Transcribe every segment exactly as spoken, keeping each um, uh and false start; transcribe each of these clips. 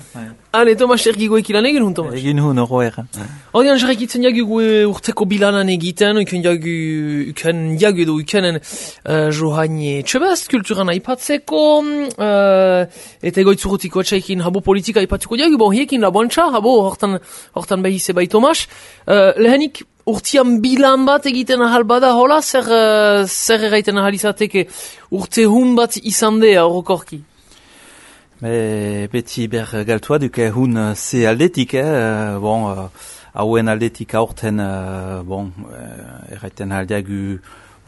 Hale, Tomas, ergigo ekilan egin hun, Tomas? Egin hun, oro egan. Hodian, jarrakitzen jagu gue urteko bilanan egiten, uken jagu, uken jagu edo ukenen uh, johaine txebest, kulturan aipatzeko, uh, eta egoitzurutiko etxaikin habo politika aipatuko jagu, bon, hiekin laboantxa, habo, hortan, hortan behize bai, Tomas. Uh, lehenik, urtian bilan bat egiten ahal bada, hola, zer, uh, zer erraiten ahal izateke urte hun bat izan dea, orokorki? Be, beti ber galtua duke hun ze aldetik, eh, bon, uh, hauen aldetik aurten, uh, bon, uh, erraiten aldeagu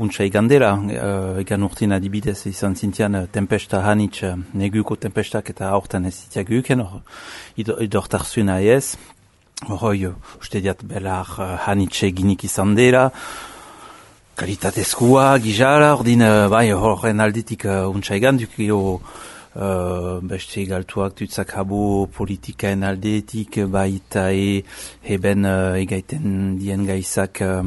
untsa igandela, uh, egan urtin adibidez izan zintian uh, tempesta hanitz, uh, neguko tempestak eta aurten ez zitiagu uken, hor, idortarzuna ez, hori, uste diat belar uh, hanitz eginik izan dela, kalitatezkoa, gizara, ordin, uh, bai, horren aldetik uh, untsa igan dukio, Uh, beste galtuak dutzak habo politikaen aldeetik baita e heben uh, egaiten dien gaizak uh,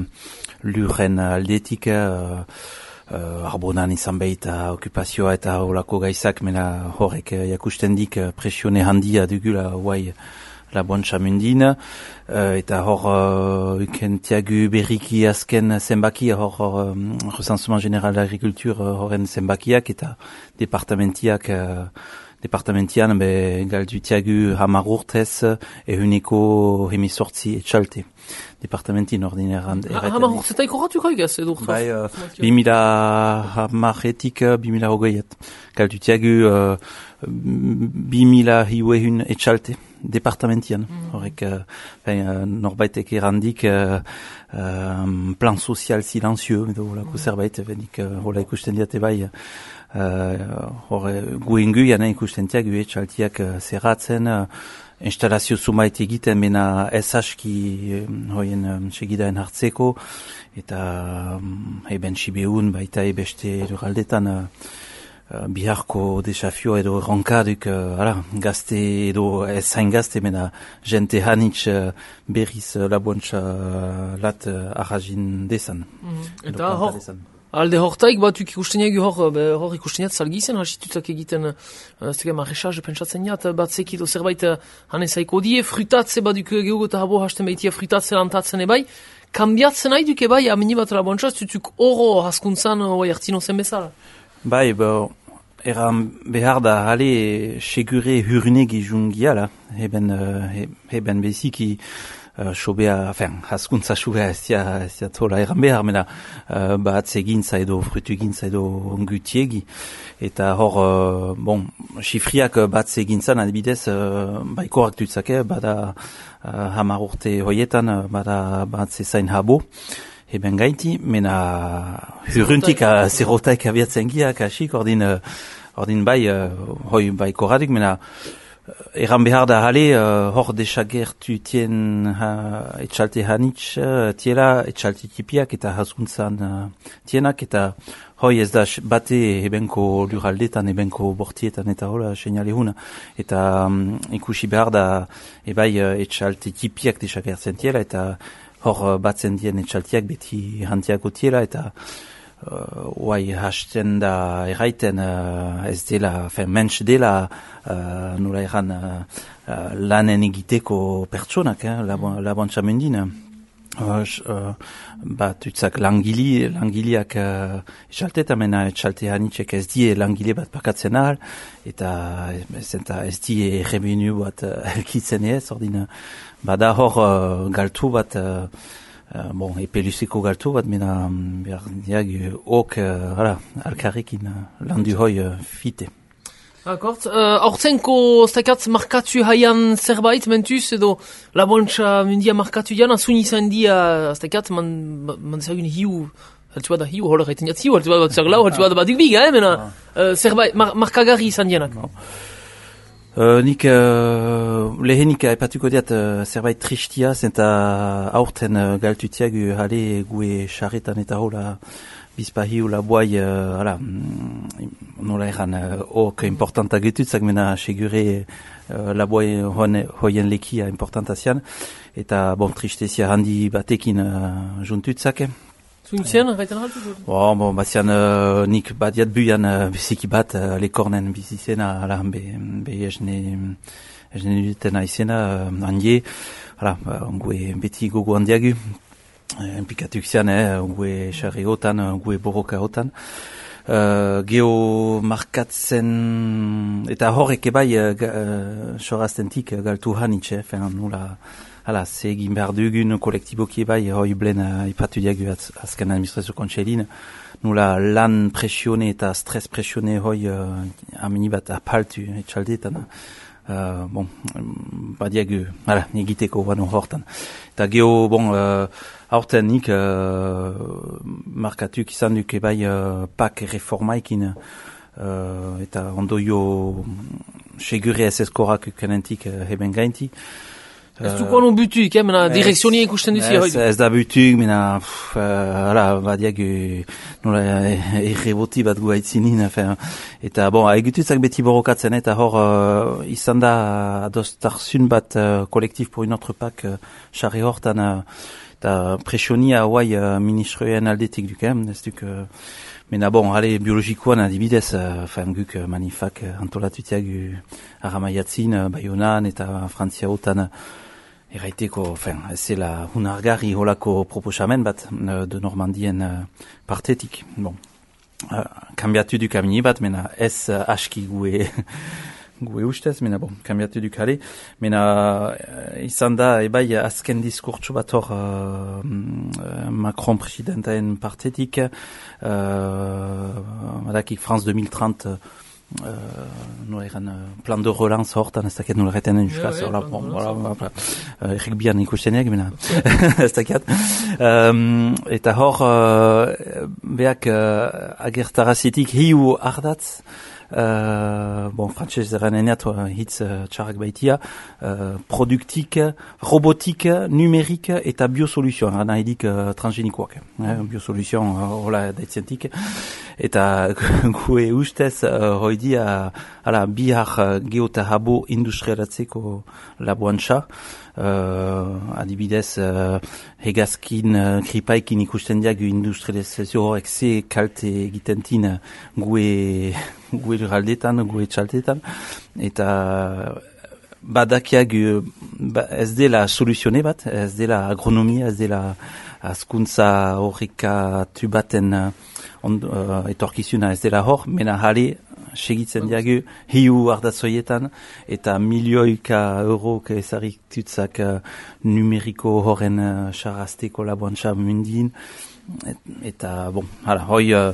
lurren aldeetik uh, uh, arbonan izan baita okupazioa eta holako gaizak mena horrek uh, jakusten dik uh, presione handia dugula guai la bontxa mundin, uh, eta hor uh, ukentiagu berriki azken zenbaki, hor um, recensement general d'agriculture uh, horren zenbakiak eta departamentiak, uh, departamentian be galdutiagu hamar urtez ehuneko hemezortzi etxalte. Departamentin ordineran. Hamar urtzetaik horratuko egaz, edo? Bai, uh, bimila hamaretik bimila hogeiet. Galdutiagu uh, bimila hiuehun etxalte. Departamentian, mm. horrek uh, ben, uh, norbaitek erandik uh, um, plan sozial silenzieux, edo holako mm. zerbait, benik uh, hola ikusten diate bai, uh, horre guengu jana ikusten tiak, ue txaltiak uh, zerratzen, uh, instalazio sumait egiten, mena ez aski um, hoien um, segidaen hartzeko, eta um, eben sibeun baita ebeste lurraldetan, uh, Uh, biharko desafio edo ronkaduk uh, ala, gazte edo ez zain gazte mena jente hanitz uh, berriz uh, laboantxa uh, lat uh, arrajin desan. Mm-hmm. Eta hor, alde hortaik batuk ikusteniak hor, hor ikusteniat salgizen, hasitutak egiten, ez dugu marrexaz, pentsatzen jat, batzek edo zerbait uh, hanezaiko die, frutatze baduk gehugo eta habo hasten behitia frutatze lantatzen ebai, kambiatzen nahi duke bai, amini bat laboantxa, zutuk oro haskuntzan oi hartzino zen bezala. Bai, bo, eran behar da hale segure hurnek izungiala, heben, uh, heben beziki uh, sobea, enfin, haskuntza sobea ez dia tola eran behar, mena uh, bat egintza edo frutu egintza edo gutiegi. Eta hor, uh, bon, xifriak bat egintzan adibidez, uh, baikoak dutzake, bada uh, hamar urte hoietan, uh, bada bat zezain habo, eben gaiti, mena huruntik a zerotaik abiatzen giak, asik, ordin, uh, ordin bai, uh, hoi bai koradik, mena uh, eran behar da hale, uh, hor desagertu tien uh, etxalte hanitz, uh, tiela etxalte tipiak eta haskuntzan uh, tienak, eta hoi ez da bate ebenko luraldetan, ebenko bortietan eta hola seinale huna, eta um, ikusi behar da ebai uh, etxalte tipiak desagertzen tiela, eta hor batzen dien etxaltiak beti hantiako tiela, eta oai uh, hasten da erraiten uh, ez dela, fen mensch dela uh, nola erran uh, uh, lanen egiteko pertsonak, eh, laboantxa mendina. Uh, uh, bat utzak langili, langiliak uh, etxalteta mena etxalte hanitzek ez die langile bat pakatzen ahal, eta ez, ez die revenu bat uh, elkitzen ez, ordina bada hor uh, galtu bat, uh, uh, bon, epelusiko galtu bat, mena behar diag ok, uh, alkarrekin uh, landu hoi uh, fite. Akort, aurtenko uh, stakat markatu haian zerbait mentuz edo laboantxa mundia markatu jana, zun izan dia stakat man, man dezagun hiu, haltu bada hiu, hola gaiten jat hiu, haltu bada bat zerglau, haltu bada bat duk biga, eh, mena uh, zerbait mar, markagarri izan dianak. No. Uh, nik uh, lehenik aipatuko diat uh, zerbait tristia, zenta aurten uh, galtutiagu hale gue charretan eta hola bizpahiu la boai, uh, ala, mm, nola eran, uh, ok importanta getutzak mena segure uh, la boai hoien lekia importanta zian, eta bon tristezia handi batekin uh, juntutzak. Zuntzien, gaiten haltu? Bon, bon, bazian uh, nik badiat buian uh, biziki bat uh, lekornen bizizena, ala, be, be esne ingeniuriten aizena, uh, handie, hala, uh, gue beti gogo handiagu, uh, implikatuak zian, eh, gue xarri hotan, uh, gue borroka hotan. Uh, geo markatzen, eta horrek ebai, uh, uh, soraztentik uh, galtu hanitxe, fen, nula, hala, ze egin behar dugun kolektiboki ebai, hoi blen uh, ipatu diagu az, azken administrazio kontxelin, nula lan presione eta stres presione hoi uh, amini bat apaltu etxaldeetan. Uh, bon, badiagu, hala, negiteko bano hortan. Eta geho, bon, uh, aurten nik uh, markatuk izan duk ebai uh, pak reformaikin uh, eta ondoio segure ez eskorak ukenentik uh, heben gainti. Ez duko anu butuik, eh, mena direkzionia ikusten duzi hoi. Ez da butuik, mena, hala, badiagu, nola, erreboti bat gu haitzinin, eta, bon, egutuzak beti borrokatzen, eta hor, uh, izan da adostarzun bat uh, kolektif pour une autre pak, xarri uh, hortan, uh, eta presionia hauai uh, ministroen aldetik duk, eh, ez duk, uh, mena, bon, ale, biologikoan adibidez, uh, fan guk uh, manifak uh, antolatutiak uh, aramaiatzin, uh, Baionan, eta Frantzia hotan, uh, Eraiteko, enfin, ez zela hunargarri holako proposamen bat uh, de Normandien uh, partetik. Bon, uh, kambiatu duk amini bat, mena ez uh, aski gue, gue ustez, mena bon, kambiatu duk ale. Mena uh, izan da, ebai, azken diskurtsu bat hor uh, Macron presidentaen partetik, uh, madakik France deux mille trente, uh, Uh, no eran uh, plan de relance hortan, ez dakiat nola retenen juskaz, yeah, yeah, bon, voilà, errik bian ikusteneak, mena, ez dakiat. Um, eta hor, uh, beak uh, agertarazitik hiu ardatz, uh, bon, frantxez eraneneat uh, hitz uh, txarrak baitia, uh, produktik, robotik, numerik eta biosoluzioan, gana edik uh, transgenikoak, eh, biosoluzioan, uh, hola daitzentik. Eta gue ustez uh, hoidia ala bihar uh, geota habo industrialatzeko laboantxa, uh, adibidez uh, hegazkin uh, kripaikin ikusten diagu industrializazio horrek ze kalte egitentin uh, gue gue lurraldetan, gue txaltetan, eta badakiag ba, ez dela soluzione bat, ez dela agronomia, ez dela azkuntza horrikatu baten uh, on, uh, etorkizuna ez dela hor, mena jale segitzen diagu hiu ardatzoietan eta milioika eurok ezarritutzak uh, numeriko horren uh, xarrazteko laboantxa mundin, et, eta bon, hala, hoi uh,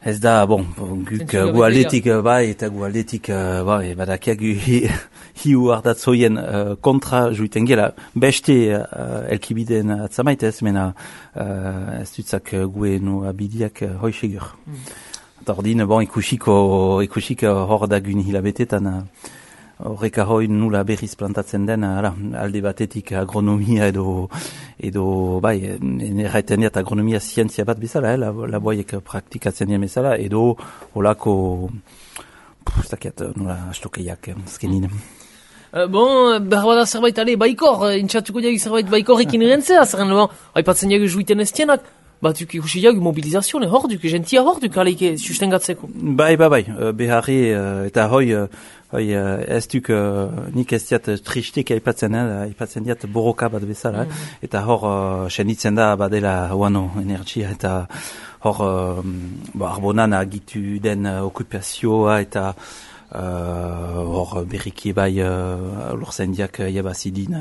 ez da, bon, guk uh, gu aldetik uh, bai, eta gu aldetik uh, bai, badakiak hi, hiu ardatzoien uh, kontra juiten gela, beste uh, elkibiden atzamaitez, mena uh, ez dutzak uh, gue no abidiak uh, hoi segur. Mm. Eta ordin, bon, ikusiko, ikusiko hor dagun hilabetetan, uh, horrek ahoi nula berriz plantatzen den, ala, alde batetik agronomia edo, edo, bai, erraiten diat agronomia zientzia bat bezala, eh, laboiek praktikatzen dien bezala, edo holako, ez dakiat, nula astokeiak, azkenin. Uh, bon, behar bada zerbait, ale, baikor, intxatuko diagu zerbait baikorrekin erentzea, zerren, bon, haipatzen diagu juiten ez tienak, batuk ikusi diagu mobilizazione hor duk, gentia hor duk, aleike sustengatzeko. Bai, bai, bai, beharri, eta hoi, hoi, ez duk, nik ez diat tristek aipatzen, aipatzen diat borroka bat bezala, mm. eta hor, senditzen da, badela, oano, energia, eta hor, bo, arbonan agitu den okupazioa, eta hor, uh, berriki bai, uh, lorzendiak jabazidin,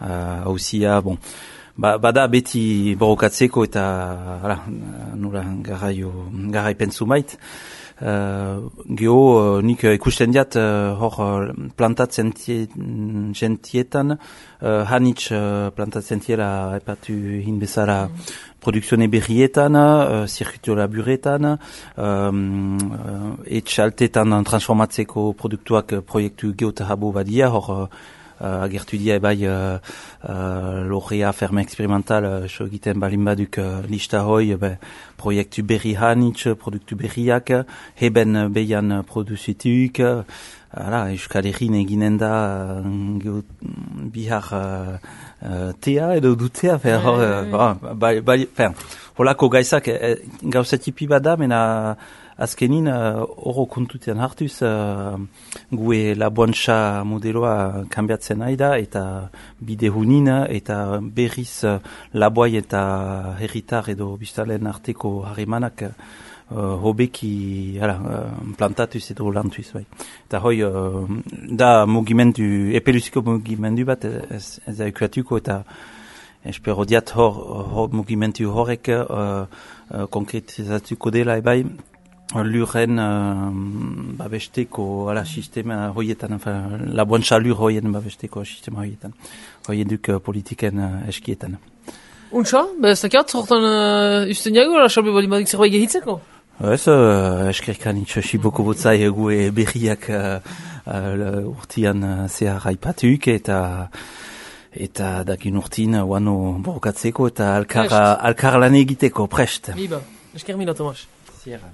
hausia, uh, bon, Ba, bada beti borrokatzeko eta hala, nula garaio, garai pentsu mait. Uh, geho, uh, nik uh, ikusten diat uh, hor uh, plantatzen gentietan, uh, hanitz uh, plantatzen tiela epatu hin bezala mm. produkzione berrietan, uh, zirkuito laburetan, um, uh, etxaltetan transformatzeko produktuak uh, proiektu geota habo badia, hor uh, Uh, agertu dia ebai uh, uh, lorrea ferme experimental uh, so egiten balin baduk uh, lista hoi uh, proiektu berri hanitz, produktu berriak, heben beian produzituk, uh, ala, Euskal Herrin eginen da uh, bihar uh, uh, tea edo dutea, fer, uh, uh, bai, bai, fer, holako gaizak, eh, gauzatipi bada, mena azkenin horro uh, kontutian hartuz uh, gue laboantxa modeloa kanbiatzen nahi da eta bide hunin eta berriz uh, laboai eta herritar edo biztalen arteko harremanak uh, hobeki hala, uh, plantatuz edo lantuz. Bai. Eta hoi uh, da mugimendu, epeluziko mugimendu bat ez, ez da ekuatuko eta espero diat hor, hor mugimendu horrek uh, uh, konkretizatuko dela ebai lurren uh, babesteko ala, sistema hoietan, enfin, laboantxa lur hoien babesteko sistema hoietan, hoieduk uh, politiken uh, eskietan. Untxa, ba ez dakiat, hortan uh, usten jago, la xalbe bali badik zerbait gehitzeko? Ez, uh, eskerkan itxasi boko botzai gue berriak uh, uh, urtian uh, zehar aipatuk eta eta dakin urtin wano borrokatzeko eta alkar, alkar lan egiteko prest. Biba, esker mila, Tomas. Sierra.